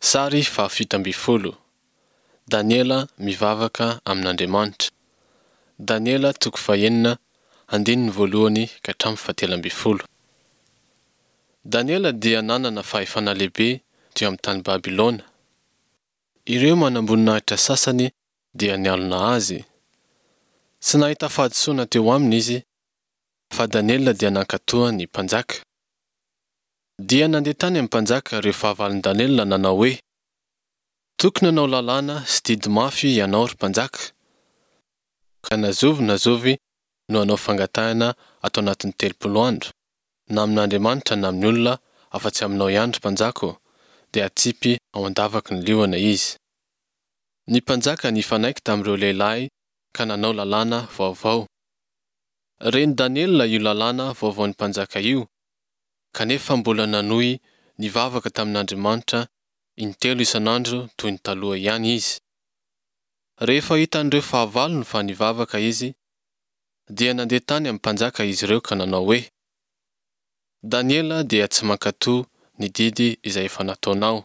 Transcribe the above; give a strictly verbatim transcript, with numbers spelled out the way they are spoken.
Sary fahafito ambin'ny folo. Daniela mivavaka amin'Andriamanitra. Daniela toko fahenina, andininy voalohany ka hatramin'ny fahatelo ambin'ny folo. Daniela dia nanana fahefana lehibe teo amin'ny tany Babylona. Ireo manamboninahitra sasany dia nialona azy. Tsy nahita fahadisoana teo aminy izy, fa Daniela dia nankatoa ny mpanjaka. Dia nandeha tany amin'ny mpanjaka ireo fahavalon'i Daniela nanao hoe, Tokony hanao lalàna sy didy mafy ianao ry mpanjaka, ka na zovy na zovy no hanao fangatahana ato anatin'ny telopolo andro, na amin'Andriamanitra na amin'ny olona, afa-tsy aminao ihany, ry mpanjaka ô, dia hatsipy ao an-davaky ny liona izy. Ny mpanjaka nifanaiky tamin'ireo lehilahy ka nanao lalàna vaovao. Ren'i Daniela io lalàna vaovaon'ny mpanjaka io, kanefa mbola nanohy nivavaka tamin'Andriamanitra intelo isan'andro toy ny taloha ihany izy. Rehefa hitan'ireo fahavalony fa nivavaka izy, dia nandeha tany amin'ny mpanjaka izy ireo ka nanao hoe, Daniela dia tsy mankatò ny didy izay efa nataonao.